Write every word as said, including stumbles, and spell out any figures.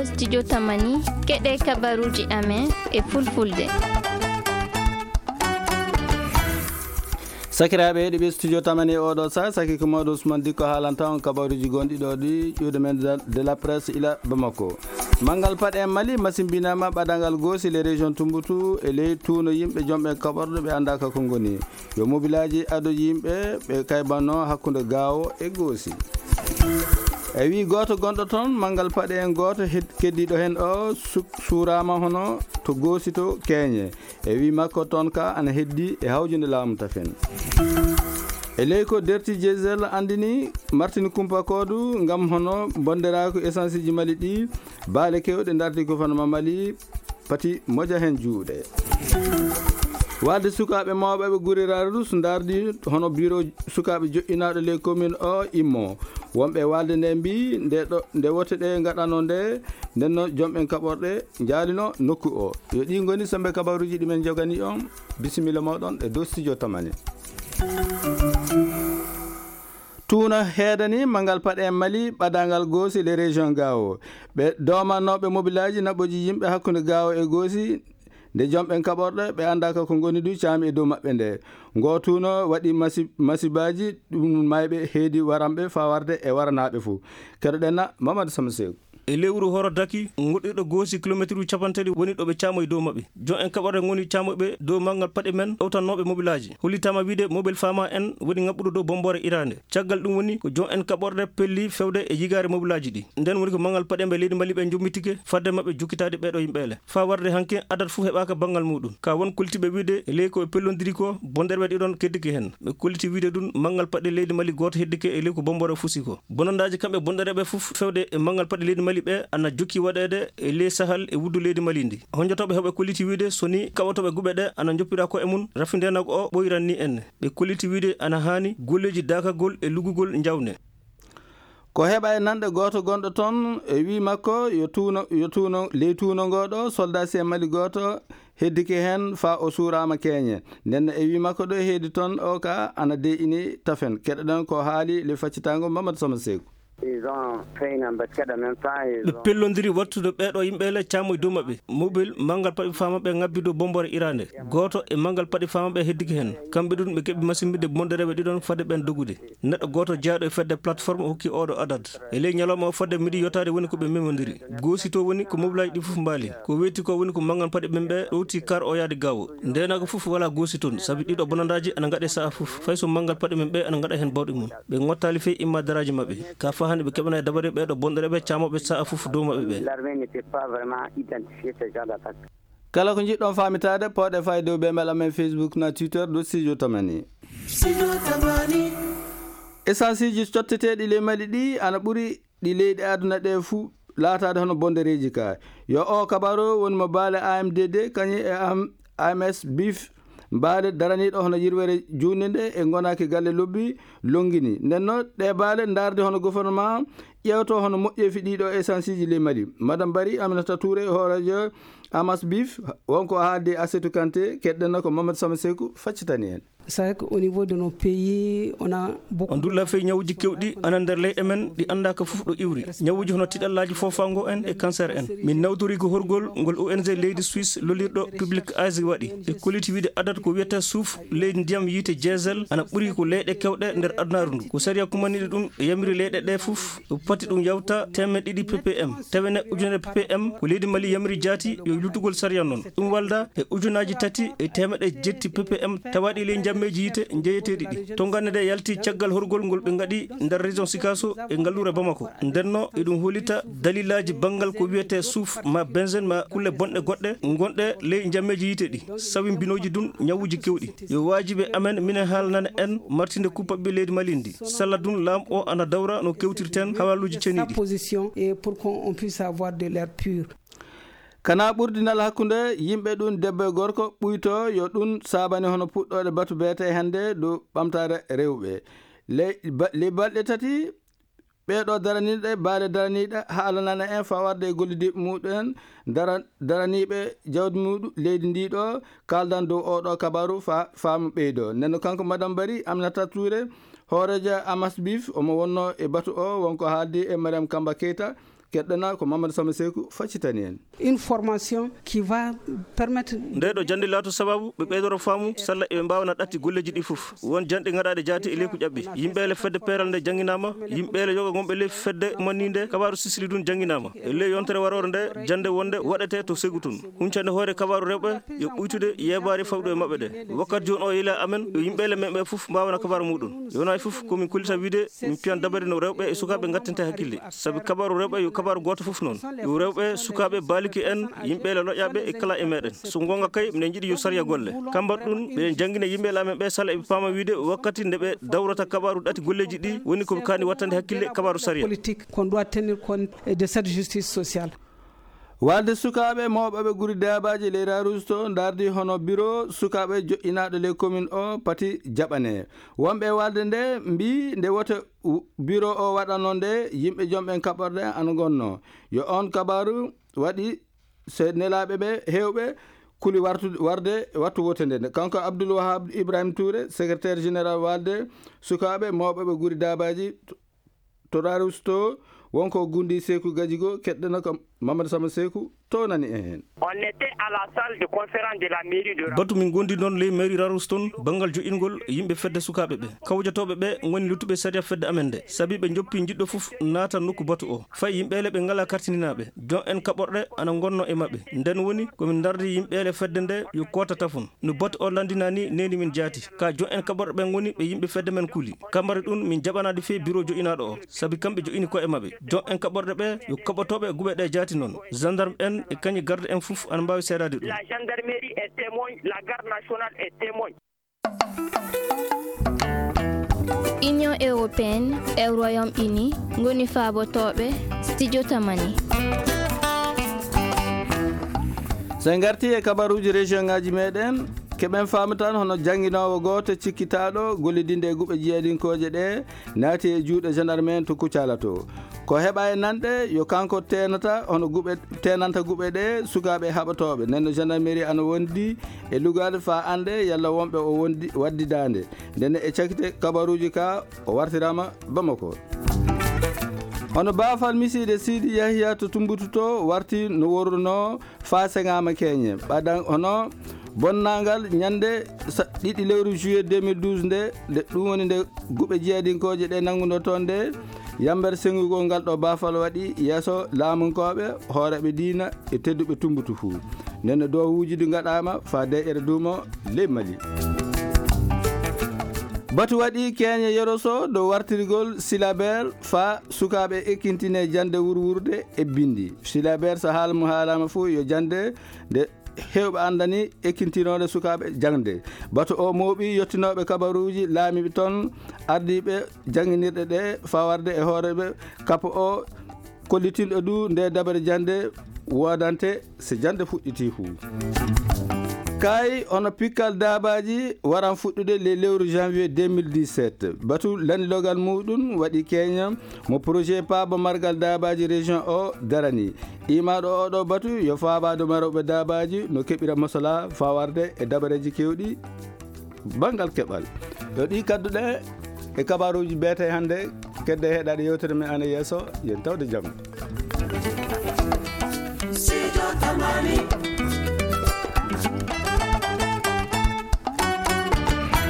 Studio Tamani, keɗe kabaruji amen e fulfulde. Sakiraaɓe heɗiɓe Studio Tamani e oɗo sa, saki ko mawɗo Ousmane Dikko haalanta on kabaruji gonɗi ɗo ɗi ƴuude men de, de la presse ila Bamako. Manngal paɗe en Mali masimbinama ɓadagal goosi les régions Tumbutu e ley tuuno yimɓe jomɓe kaɓorɗo ɓe annda ka ko ngoni. Yo mobilaaji ado yimɓe ɓe kaybanno hakkunde Gaawo e Goosi. E wi gooto gonɗo toon, manngal paɗe en gooto hed-, keddiiɗo heen o su-, suuraama hono to Goosi to Keeñe. E wi makko toon ka ana heddi e hawjude laamu tafen. E ley ko Derti Diesel anndini Martin Kumpa Koodu ngam hono bonderaaku essence ji Mali ɗi, baale kewɗe ndarti ko fano ma Mali, pati moja heen juuɗe. Waalde sukaaɓe mawɓe ɓe gure Rarus ndardi hono biro sukaaɓe joƴƴinaaɗo ley commune o immo. Wonɓe waalde nde mbi nde ɗo, nde wote ɗe ngaɗano nde, nden no jomɓen kaɓorɗe njaalino nokku o. Yo ɗi ngoni sembe kabaruji ɗi men jogani on. Bisimilla moɗon e dow Studio Tamani. Tuuno heedani manngal paɗe en Mali ɓadaangal Goosi le région Gaawo. Ɓe doomannooɓe mobilaaji naɓɓoji yimɓe hakkunde Gaawo e Goosi, nde jomɓen kaɓorɗe ɓe anndaaka ko ngoni du caami e dow maɓɓe nde. Ngo tuuno waɗi masi-, masibaaji ɗum mayɓe heedi waranɓe faa warde e waranaaɓe fuu. Keɗoɗen na Mamadou Sama Seeku. E lewru Horo Daki, goɗɗirɗo Goosi kilomeetruuji capanɗe tati woni ɗo ɓe caamoyi dow maɓɓe. Jon en kaɓorɗe ngoni caamoyɓe dow manngal paɗe men, ɗowtannooɓe mobilaaji. Hollitaama wiide mobil Fama en woni ŋaɓɓuɗo dow bombore iraande. Caggal ɗum woni ko jon en kaɓorɗe pelli fewde e yigaare mobilaaji ɗi. Nden woni ko manngal paɗe ɓe leydi Mali ɓe njummitike fadde maɓɓe jokkitaade ɓeeɗo yimɓe ele. Faa warde hanki adat fuu heɓaaka banngal muuɗum. Ka won kollitii ɓe wiide e ley ko ɓe pellondiri ko, bonderɓe ɗiɗon keddike heen. Ɓe kollitii wiide ɗum manngal paɗe leydi Mali gooto heddike e ley ko bombore fusi ko. Bonandaaji kamɓe bonɗereeɓe fof fewde e manngal paɗe leydi Mali ɓe ana jokki waɗeede e ley Sahal e wuddu leydi Mali ndi. Honjotooɓe heɓe kolliti wiide so ni kaɓotooɓe guɓe ɗe ana njoppira ko e mum, rafi ndeenagu o ɓoyran ni en. Ɓe kolliti wiide ana haani golleeji daakagol e lugugol njawne. Ko heɓa e nanɗe gooto gonɗo toon e wii makko yo tuuno, yo tuuno, ley tuuno ngoo ɗo soldaasi e Mali gooto heddike heen faa o suuraama keeñe. Nden no e wii makko ɗo e heedi toon o ka ana deeƴini tafen. Keɗoɗen ko haali le faccitaango Mamadou Sama Seeku. Ils ont fait une embuscade en même temps, ils ont... Ɓe pellondiri wattude ɓeeɗo yimɓe le caamoy dow maɓɓe. Mobil manngal paɗe faa maɓɓe ŋabbi dow bombore iraande. Gooto e manngal paɗe faa maɓɓe heddike heen. Kamɓe ɗum ɓe keɓi masimbinde bondereeɓe ɗiɗon fade ɓen dogude. Neɗɗo gooto jeyaaɗo e fedde plateforme hokki ooɗo adat. E ley ñalawma o fodde midi yottaade woni ko ɓe memondiri. Goosi to woni ko mobilaaji ɗi fof mbaali. Ko weeti ko woni ko manngal paɗe ɓen ɓe ɗowti kar o yaade Gaawo. Ndeenagu fof walaa goosi toon, sabi ɗiɗo bonandaaji ana ngaɗe sa'a fof. Fay so manngal paɗe men ɓe ana ngaɗa heen bawɗe mum. Ɓe ngottaali fey imma daraaji maɓɓe. Ka faa hannde ɓe keɓanaa dabare ɓeeɗo bonɗereeɓe caamoɓe sa'a fof dow maɓɓe ɓe. L'armée ne peut pas vraiment identifier ce genre d'attaque. Kala ko njiɗɗon faamitaade, pooɗe faa e dow bembel amen Facebook na Twitter ɗo Studio Tamani. Studio Tamani. Essenceji cotteteeɗi ley Mali ɗi ana ɓuri ɗi leyɗe aduna ɗe fuu laataade hono bondereeji ka. Yo o kabaru woni mo baale A M D D kañum e am-, A M S Bif, baale daraniiɗo hono yirwere juutnde nde e ngonaaki galle lobbi longini. Nden no ɗe baale ndaarde hono gouvernement ƴeewto hono moƴƴeefi ɗiɗo essenceji ley Mali. Madame Bari Aminata Touré, hooreejo Amas Bif, wonko haaldi Asetu Kanté, keɗɗen ko Mamadou Sama Seeku faccitani en. C'est vrai qu'au niveau de nos pays, on a beaucoup... On dulla fey ñawuji kewɗi ana nder leyɗe men ɗi anndaaka fof ɗo iwri. Ñawuji hono tiɗallaaji foofaango en e cancer en. Min nawtori ko horgol ngol O N G leydi Suisse lollirɗo Public Eyes waɗi. E kolliti wiide adat ko wiyata suuf leydi ndiyam yiite diesel ana ɓuri ko leyɗe kewɗe nder adunaaru ndu. Ko sariya kumaniɗo ɗum e yamiri leyɗe ɗe fof, o pati ɗum yawta teemeɗɗe ɗiɗi P P M. Tawene ujunere P P M ko leydi Mali yamiri jaati yo luttugol sariya noon. Ɗum walda e ujunaaji tati e teemeɗɗe jetti P P M tawaaɗi ley njammeeji yiite njeyeteeɗi ɗi. To ngannde nde yalti caggal horgol ngol ɓe ngaɗi nder région Sikasso e ngalluure Bamako. Ndenno eɗum hollita dalilaaji banngal ko wiyetee suuf ma benzène ma kulle bonɗe goɗɗe ngonɗe ley njammeeji yiite ɗi. Sawi mbinooji ɗum ñawuuji kewɗi. Yo waajibi amen minen haalnana en martinde kuppaɓe leydi Mali ndi. Salla ɗum laamu o ana dawra no kewtirten hawaaluuji ceniiɗi. Position et pour qu'on puisse avoir de l'air pur. Kana ɓurdinal hakkunde yimɓe ɗum debbo e gorko ɓuyto yo ɗum saabani hono puɗɗooɗe batu beete hannde dow ɓamtaare rewɓe. Ley ba-, ley balɗe tati ɓeeɗo daraniiɗe, baale daraniiɗe haalanana en fawarde e gollidiiɓe muɗum en dara-, daraniiɓe jawdi muɗum leydi ndi ɗo kaaldan dow oɗo kabaru fa-, faamu ɓeydo. Nden no kanko Madame Bari Aminata Touré, hooreejo Amas Bif, omo wonno e batu o wonko haaldi e Mariam Kamba Keita, Keɗɗana ko Mamadou Sama Seku faccitani en. Une formation qui va permettre. Nde ɗo jannde laato sababu ɓe ɓeydoro faamu, salla eɓe mbaawana ɗatti golleeji ɗi fof. Won janɗe ngaɗaaɗe jaati e leyku ƴaɓɓi. Yimɓe ele fedde peeral nde jannginaama, yimɓe ele yoga ngonɓe ley fedde ummanii nde, kabaaru sisili ɗum jannginaama. E ley yontere waroore nde, jannde wonde waɗete to Segu tun. Huncande hoore kabaaru rewɓe, yo ɓuytude yeebaare fawɗo e maɓɓe ɗe. Wakkati jooni o yila amen, yo yimɓe ele men ɓe fof mbaawana kabaaru muɗum. Yonaa e fof ko min kollita wiide, min piyan dabare no rewɓe e sukaaɓe ngattinte hakkille. Sabi kabaaru rewɓe yo kabaaru gooto fof noon. Yo rewɓe, sukaaɓe, baaliki en, yimɓe ele loƴƴaaɓe e kala e meɗen. So goonga kay, minen njiɗi yo sariya golle. Kambat ɗum, ɓeɗen janngina yimɓe ele amen ɓe sala eɓe paama wiide wakkati nde ɓe dawrata kabaaru ɗatti golleeji ɗi, woni ko ɓe kaani wattande hakkille kabaaru sariya. Politique qu'on doit tenir compte de cette justice sociale. Walde sukaaɓe mawɓe ɓe guri daabaaji ley Rarusto ndardi hono biro sukaaɓe joƴƴinaaɗo ley commune o pati jaɓane. Wonɓe e walde nde mbii nde wote u-, biro o waɗanoo nde, yimɓe jom ɓen kaɓorɗe ana ngonnoo. Yo on kabaaru waɗi so nelaaɓe ɓe heewɓe kuli wartu-, warde wattu wote nde. Kanko Abdoul Wahab Ibrahim Touré, secrétaire général walde sukaaɓe mawɓe ɓe guri daabaaji to Rarusto, wonko Gundi Seku Gajigo, keɗɗana ko Mamadou Sama Seku, townani en heen. On était à la salle de conférence de la mairie de Rarusto. Batu min gondi noon ley mairie Rarusto, banngal joƴƴingol yimɓe fedde sukaaɓe ɓe. Kawjotooɓe ɓe ngoni luttuɓe sariya fedde amen nde. Sabi ɓe njoppi jiɗɗo fof naata nokku batu o. Fay yimɓe ele ɓe ngalaa kartininaaɓe. Jon en kaɓorɗe ana ngonno e maɓɓe. Nden woni ko min ndardi yimɓe ele fedde nde yo koota tafon. No batu o lanndinaa ni, neeni min jaati. Ka jon en kaɓorɗe ɓen ngoni ɓe yimɓe fedde men kuli. Kamari ɗum min jaɓanaade fii biro joƴƴinaaɗo o, sabi kamɓe joƴƴini ko'e maɓɓe. Jon en kaɓorɗe ɓe yo kaɓotooɓe guɓe ɗe jaati noon. Gendarme en e kañi garde en fof ana mbaawi seedaade ɗum. La gendarmerie est témoin, la garde nationale est témoin. Union européenne e Royaume-Uni ngoni faabotooɓe studio Tamani. So en ngartii e kabaruuji région ngaaji meɗen, keɓen faamatan hono jannginoowo gooto cikkitaaɗo gollidinde e guɓe jiyadinkooje ɗe naati e juuɗe gendarme en to Kucala to. Ko heɓa e nanɗe, yo kanko teenata hono guɓe, teenanta guɓe ɗe sukaaɓe haɓotooɓe. Nden no gendarmerie ana wondi e lugaade faa annde yalla wonɓe o wondi waddidaande. Nden e cakite kabaruuji ka o wartiraama Bamako. Hono baafal misiide Sidi Yahya to Tumbutu to warti no worruno faa seŋaama keeñe. Ɓadan hono bonnangal ñande sa-, ɗiɗi lewru juillet deux mille douze nde, nde ɗum woni nde guɓe jiyadinkooje ɗe nannguno toon nde, yammbere seŋugol ngal ɗo baafal waɗi yeeso laamunkooɓe, hooreeɓe diina e tedduɓe Tumbutu fuu. Nden no dowuuji ɗi ngaɗaama faa deƴƴere duumo ley Mali. Batu waɗi keeñe Yoroso dow wartirgol silabeer faa sukaaɓe ekkintine jannde wurwurde e binndi. Silabeer so haala mum haalaama fuu yo jannde nde heewɓe anndani ekkintinoonde sukaaɓe jaŋde. Batu o mooɓi yottinooɓe kabaruuji laamiiɓe toon, ardiiɓe jannginirɗe ɗe, fawarde e hooreeɓe kapo o, kollitinɗo du nde dabare jannde woodante so jannde fuɗɗitii fuu. Kay, hono pikkal daabaaji waran fuɗɗude le lewru janvier deux mille dix-sept. Batu lanndiloogal muuɗum waɗi keeña mo projet paabo margal daabaaji région o darani. Iimaaɗo oɗo batu yo faabaade marooɓe daabaaji no keɓira masalaa fawarde e dabareeji keewɗi banngal keɓal. Yo ɗi kadduɗe e kabaruuji beete hannde, kedde heɗaade yewtere men ana yeeso, yen tawde jam. Sijo Tamani.